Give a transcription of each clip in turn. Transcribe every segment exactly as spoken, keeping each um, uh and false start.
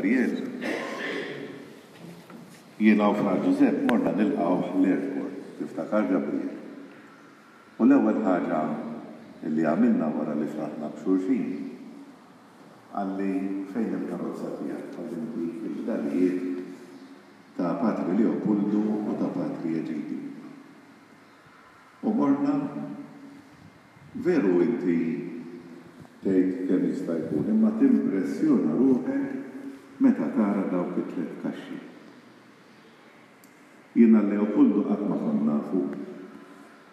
Gabriel, jiena u Fra Ġużepp morna nilqgħuh l-airport, tiftakar Gabriel? U l-ewwel ħaġa li għamilna wara li fraħna b'xulxin, qalli fejn il-karozza tiegħek ħalli ntik il-fdalijiet ta' Patri Leopoldu u ta' Patri Eġidju. U morna, veru inti tgħid kemm jista' jkun, imma timpressjona ruħek meta tara dawk it-tliet kaxxi. Jiena Leopoldu qatt ma kont nafu,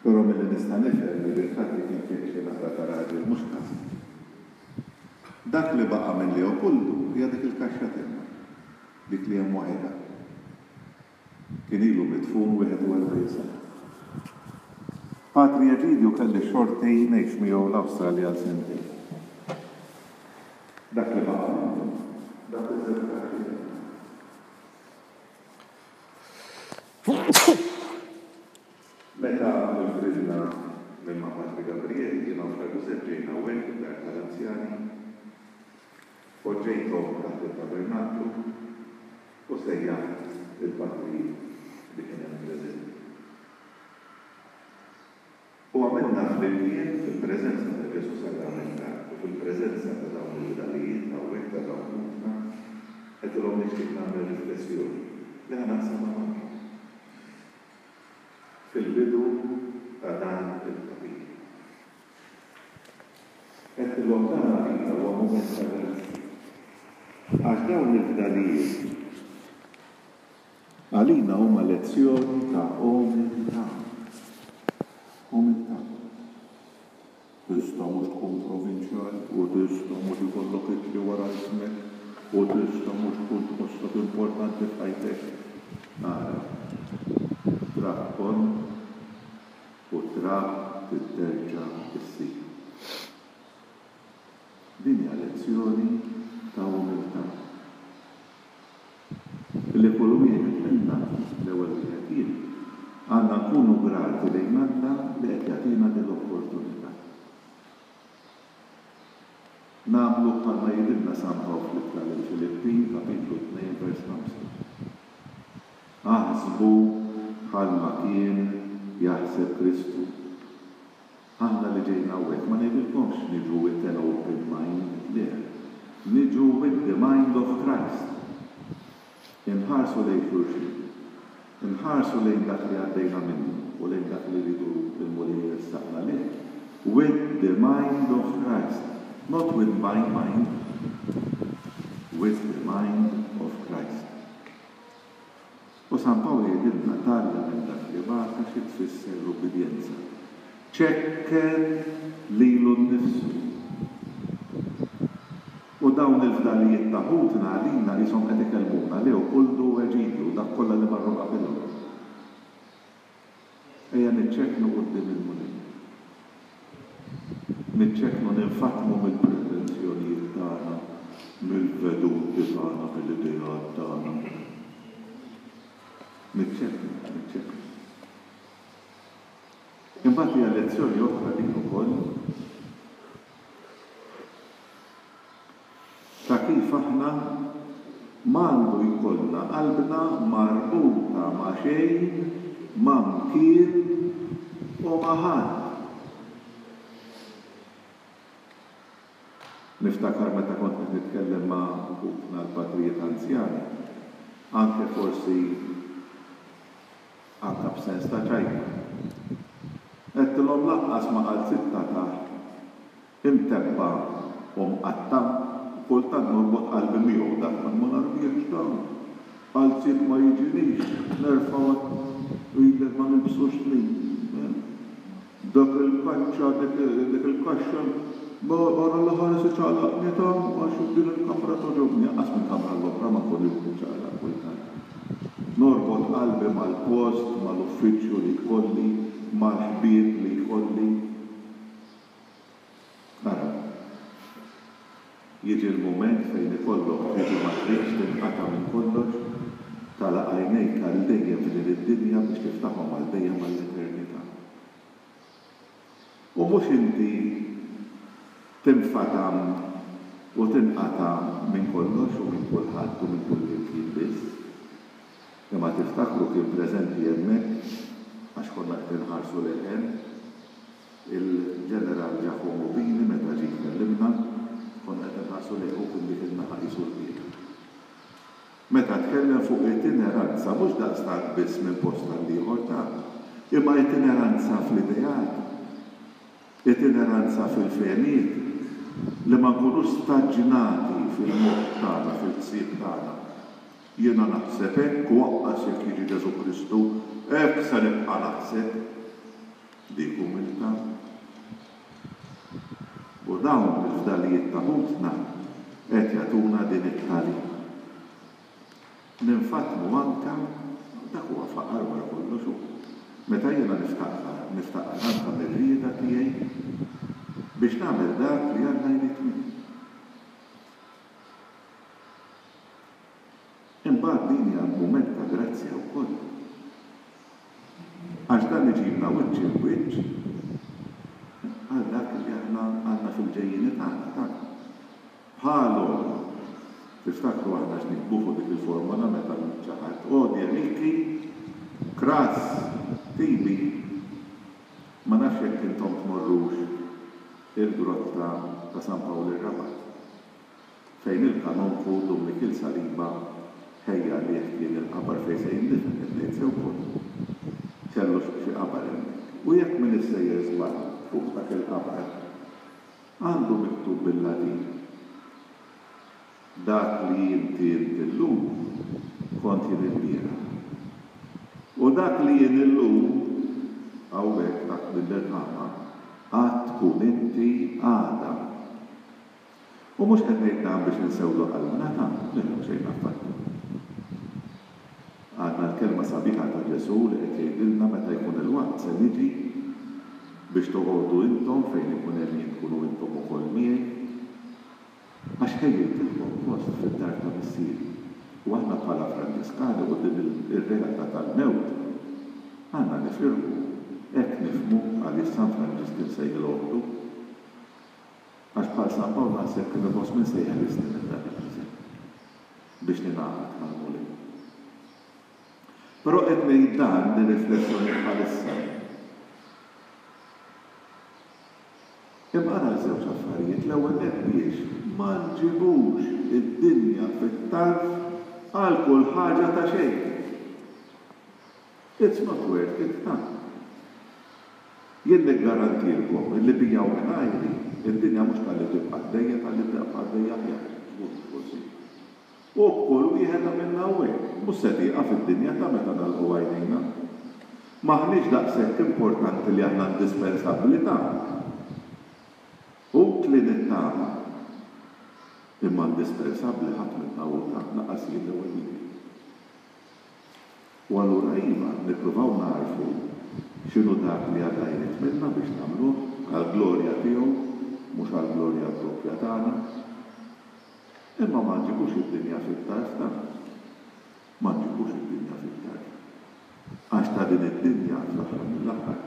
però milli nista' nifhem li bil-fatti kien fih xi naqra ta' raġel mhux ħażin. Dak li baqa' minn Leopoldu hija dik il-kaxxa t'hemm, dik li hemm waħedha. Kien ilu midfun wieħed u erbgħin sena. Patri Eġidju kelli x-xorti ngħix miegħu l-Awstralja għal sentejn. Dak li baqa' minnu, dak iż-żewġ kaxxi t'hemm. Meta nfridna minn ma' Patri Gabriel, jiena u Fra Ġużepp ġejna hawnhekk id-dar tal-anzjani, poġġejthom taħt it-tabernaklu u sejjaħt il-patrijiet li kien hemm preżenti. U għamilna flimkien fil-preżenza ta' Ġesù Sagramentat u fil-preżenza ta' dawn il-fdalijiet hawnhekk ta' dawn ħutna, għedtilhom nixtieq nagħmel riflessjoni li ħa naqsamha magħkom fil-bidu ta' dan il-kapitlu. Għedtilhom dan għalina huwa mument ta' grazzja. Għax dawn il-fdalijiet għalina huma lezzjoni ta' umiltà. Umiltà. Tista' mhux tkun provinċjal u tista' mhux ikollok ittri wara ismek u tista' mhux tkun tħossok importanti f'ħajtek. Ara, trab kont u trab titerġa' issir. Din hija lezzjoni ta' umiltà. Li kull wieħed minna, l-ewwel wieħed jien, għandna nkunu grati lejn Alla li qed jagħtina din l-opportunità. Nagħmlu bħalma jgħidilna San Pawl fl-Ittra lill-Filippin, kapitlu tnejn vers ħamsa. Aħsbu bħalma kien jaħseb Kristu. Aħna li ġejna hawnhekk ma ngħidilkomx niġu with an open mind, le. Niġu with the mind of Christ. Inħarsu lejn xulxin. Inħarsu lejn dak li għaddejna minnu u lejn dak li rridu l-Mulej jressaqna lejh. With the mind of Christ. Not with my mind. With the mind of Christ. U San Pawl jgħidilna tgħallem minn dak li bata xi tfisser l-ubbidjenza. Ċekken lilu nnifsu. U dawn il-fdalijiet ta' ħutna għalina qishom qed ikellmuna Leopoldu u Eġidju, dak kollha li marru qabilhom. Ejja niċċekknu quddiem il-Mulej. Niċċekknu ninfatmu mill-pretensjonijiet tagħna, mill-veduti tagħna, mill-ideat tagħna. Niċċekknu, niċċekknu. Imbagħad hija lezzjoni oħra din ukoll ta' kif aħna m'għandu jkollna qalbna marbuta ma' xejn, ma' mkien u ma' ħadd. Niftakar meta kont qed nitkellem ma' ħutna l-patrijiet anzjani, anke forsi anke b'sens ta' ċajta. Għedtilhom lanqas ma' qalzitta taħt imtebba u mqatta', kultant norbot qalbi miegħu dak ma narbiex dan. Qalziet ma jiġinix, nerfgħu ilek ma nilbsux snin. Dak il-kaċċa, dik il-kaxxa, barra l-ħares iċaqlaqni ta' għax din il-kamra togħġobni, anqas minn kamra l-oħra ma nkunx niċċaqlaq kultant. Norbot qalbi mal-post, mal-uffiċċju li jkolli, mal-ħbieb li jkolli. Ara, jiġi l-mument fejn ikollok tiġi ma tridx tinqata' minn kollox, tagħlaq għajnejk għal dejjem f'din id-dinja biex tiftaħhom għal dejjem għall-eternità. U mhux inti tinfatam u tinqata' minn kollox u minn kulħadd minn kullimkien biss. Imma tiftakru kien preżenti hemmhekk, għax konna qed inħarsu lejh hemm, il-Ġeneral Giacomo Bini meta ġie jkellimna, konna qed inħarsu lejh, hu kien dik in-naħa qisu l-qiegħ. Meta tkellem fuq itineranza, mhux daqstant biss minn post għal ieħor ta', imma itineranza fl-ideat, itineranza fil-fehmiet, li ma nkunux staġnati fil-moħħ tagħna, fil-ħsieb tagħna. Jiena naħseb hekk u aqqas jekk jiġi Ġesù Kristu, hekk se nibqa' naħseb. Dik umiltà. U dawn il-fdalijiet ta' ħutna qed jagħtuna din it-tagħlima. Ninfatmu anka, dak huwa faqar wara kollox hu. Meta jiena niftaqar, niftaqar anka mir-rieda tiegħi biex nagħmel dak li Alla jrid minni. Imbagħad din hija mument ta' grazzja wkoll. Għax dan iġibna wiċċ il-wiċċ għal dak li aħna għandna fil-ġejjieni tagħna, ta' bħalhom. Tiftakru aħna x'niktbu fuq dik il-formola meta xi ħadd Hodie mihi cras tibi. Ma nafx jekk intom tmorrux il-grotta ta' San Pawl ir-Rabat, fejn il-kanonku Dun Mikiel Saliba ħejja għalih kien il-qabar fejn se jindifen, qed ngħid sew ukoll. Kellu xi qabar hemmhekk. U jekk min issejjer żball fuq dak il-qabar, għandu miktub bil-Latin. Dak li inti int illum kont jien ilbieraħ. U dak li jien illum, hawnhekk taħt din l-irħama, għad tkun inti għada. U mhux qed ngħid dan biex insewlu qalbna ta' le, xejn affattu. Għandna l-kelma sabiħa ta' Ġesù li qed jgħidilna meta jkun il-waqt se niġi biex toqogħdu intom fejn ikun hemm jien tkunu intom ukoll miegħi. Għax ħejjejtilkom post fid-dar ta' missieri. U aħna bħala Franġiskani quddiem ir-realtà tal-mewt għandna nifirħu, hekk nifhmu għaliex San Franġisk kien sejħilha oħtu. Għax bħal San Pawl naħseb kien iħoss min se jeħlisni minn dan il-ġisem biex ningħaqad mal-Mulej. Però qed ngħid dan din riflessjoni bħalissa. Imma ara żewġ affarijiet, l-ewwel nett biex ma nġibux id-dinja fit-tarf għal kull ħaġa ta' xejn. It's not worth it, ta'. Jien niggarantilkom illi bija u mingħajri id-dinja mhux talli tibqa' għaddejja, talli tibqa' għaddejja aħjar, żgur forsi. U b'kull wieħed minna hawnhekk, mhux se tieqaf id-dinja ta' meta nagħlqu għajnejna. M'aħniex daqshekk importanti li aħna indispensabbli ta' utli nittama. Imma indispensabbli ħadd minna hu ta' lanqas jien l-ewwel wieħed. U allura iva, nippruvaw nagħrfu x'inhu dak li Alla jrid minna biex nagħmluh għall-glorja tiegħu, mhux għall-glorja proprja tagħna. Imma ma nġibux id-dinja fit-tarf ta'. Ma nġibux id-dinja fit-tarf. Għax ta' din id-dinja fl-aħħar mill-aħħar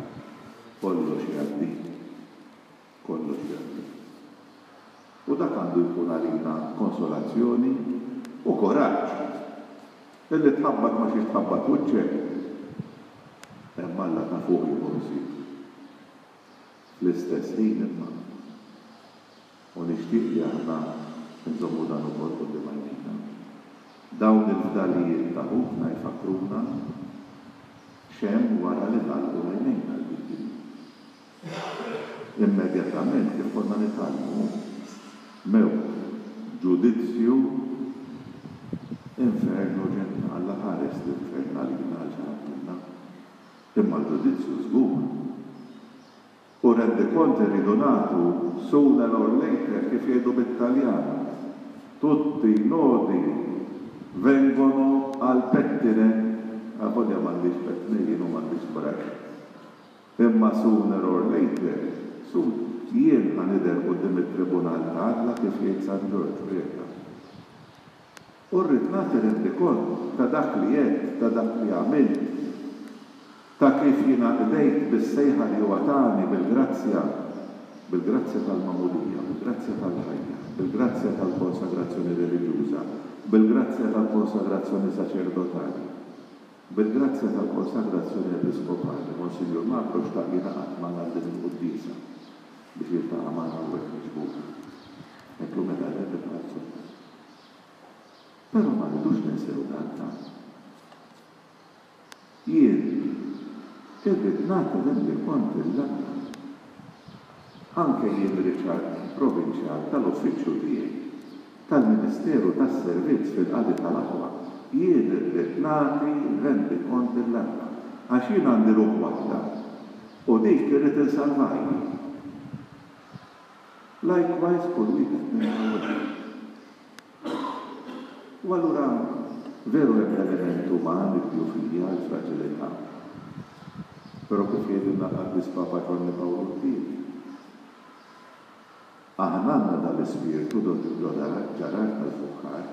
kollox jgħaddi. Kollox jgħaddi. U dak għandu jkun għalina konsolazzjoni u kuraġġ. Illi tħabbat ma xiex tħabbat wiċċek, hemm Alla ta' fuq jieħu ħsieb. Fl-istess ħin imma, u nixtieq li aħna nżommu dan ukoll quddiem għajnejna. Dawn il-fdalijiet ta' ħutna jfakkruna x'hemm wara li nagħlqu għajnejna l-dinja. Immedjatament kif konna nitgħallmu, mewt, ġudizzju, infern u ġenna. Alla ħares l-infern għalina għal xi ħadd minna. Imma l-ġudizzju żgur. U rendikont irridu nagħtu sooner or later, kif jgħidu bit-Taljan, tutti i nodi vengono al pettine. Avolja m'għandix pettine jien u m'għandix brush. Imma sooner or later, soon, jien ħa nidher quddiem it-tribunal ta' Alla kif jgħid San Ġorġ Preca. U rrid nagħti rendikont ta' dak li għedt, ta' dak li għamilt, ta' kif jiena qdejt bis-sejħa li huwa tani bil-grazzja, bil-grazzja tal-magħmudija, bil-grazzja tal-ħajja, bil-grazzja tal-konsagrazzjoni reliġjuża, Bil-grazzja tal-konsagrazzjoni saċerdotali, bil-grazzja tal-konsagrazzjoni episkopali, Monsinjur Magro xtaq jingħaqad magħna din il-quddiesa biex jiltaqa' magħna hawnhekk miġbura. Għedtlu mela le bil-qalzunna. Però ma rridux ninsew dan ta'. Jien irrid nagħti rendikont lil Alla. Anke jien Richard Provinċjal tal-uffiċċju tiegħi, tal-ministeru tas-servizz fil-qadi tal-aħwa, jien irrid nagħti rendikont lil Alla. Għax jien għandi ruħ waħda u dik irrid insalvaha jien. Likewise kull wieħed minna hawnhekk. U allura veru hemm l-element uman, id-djufija, il-fraġilità. Però kif jgħidilna l-Qaddis Papa Ġwanni Pawlu t-Tieni, aħna għandna dal-ispirtu ġarar tal-fuħħar.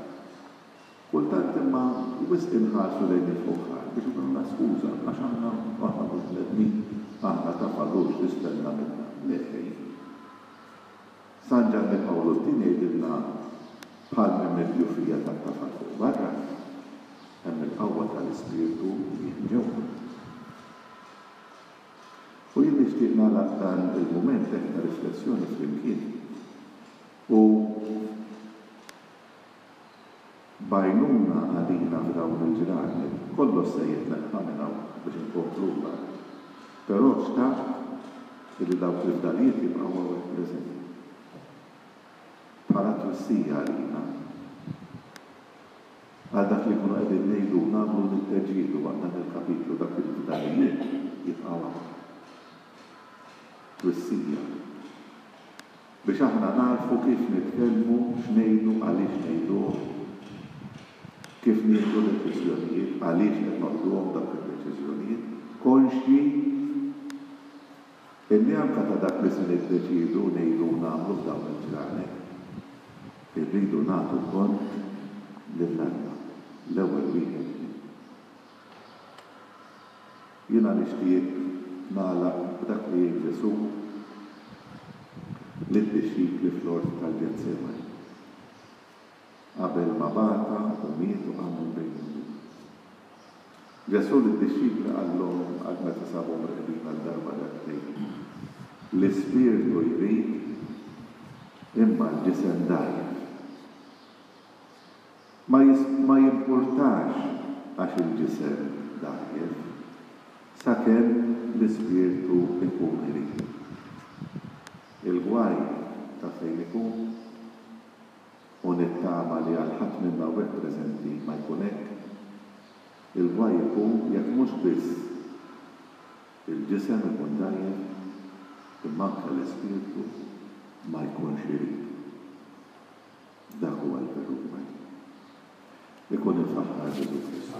Kultant imma wisq inħarsu lejn il-fuħħar biex ikollna skuża għax aħna aħna mhux bnedmin, aħna tafalux tistenna minna. Le xejn. San Ġwanni Pawlu t-Tieni jgħidilna bħal m'hemm id-djufija tat-tafal fuq barra, hemm il-qawwa tal-ispirtu li hemm ġewwa. U jien nixtieq nagħlaq dan il-mument hekk ta' riflessjoni flimkien. U b'għajnuna għalina f'dawn il-ġranet, kollox se jitneħħa minn hawn biex inkomplu mbagħad. Però xtaqt li dawk il-fdalijiet jibqgħu hawnhekk preżenti. Bħala twissija għalina. Għal dak li nkunu qegħdin ngħidu nagħmlu nitteġġielu waqt dan il-kapitlu dak il-fdalijiet jibqgħu hawn. Twissija. Biex aħna narfu kif nitkellmu, x'ngħidu, għaliex ngħiduh, kif nieħdu deċiżjonijiet, għaliex qed noħduhom dawk id-deċiżjonijiet, konxji illi anke ta' dak li se niddeċidu ngħidu u nagħmlu f'dawn il-ġranet, irridu nagħtu kont lil Alla, l-ewwel wieħed minna. Jiena nixtieq nagħlaq b'dak li jgħid Ġesù lid-dixxipli fl-ort tal-Ġetsemani. Qabel ma bata u miet u qam minn bejn il-mwiet. Ġesù lid-dixxipli qallhom għal meta sabhom reqdin għal darba darbtejn. L-ispirtu jrid imma l-ġisem dgħajjef. Ma jis-, ma jimpurtax għax il-ġisem dgħajjef, sakemm l-ispirtu ikun irid. Il-gwaj ta' fejn ikun, u nittama li għal ħadd minna hawnhekk preżenti ma jkun hekk, il-gwaj ikun jekk mhux biss il-ġisem ikun dgħajjef, imma anke l-ispirtu ma jkunx irid. Dak huwa l-veru gwaj. Ikun imfaħħar Ġesù Kristu.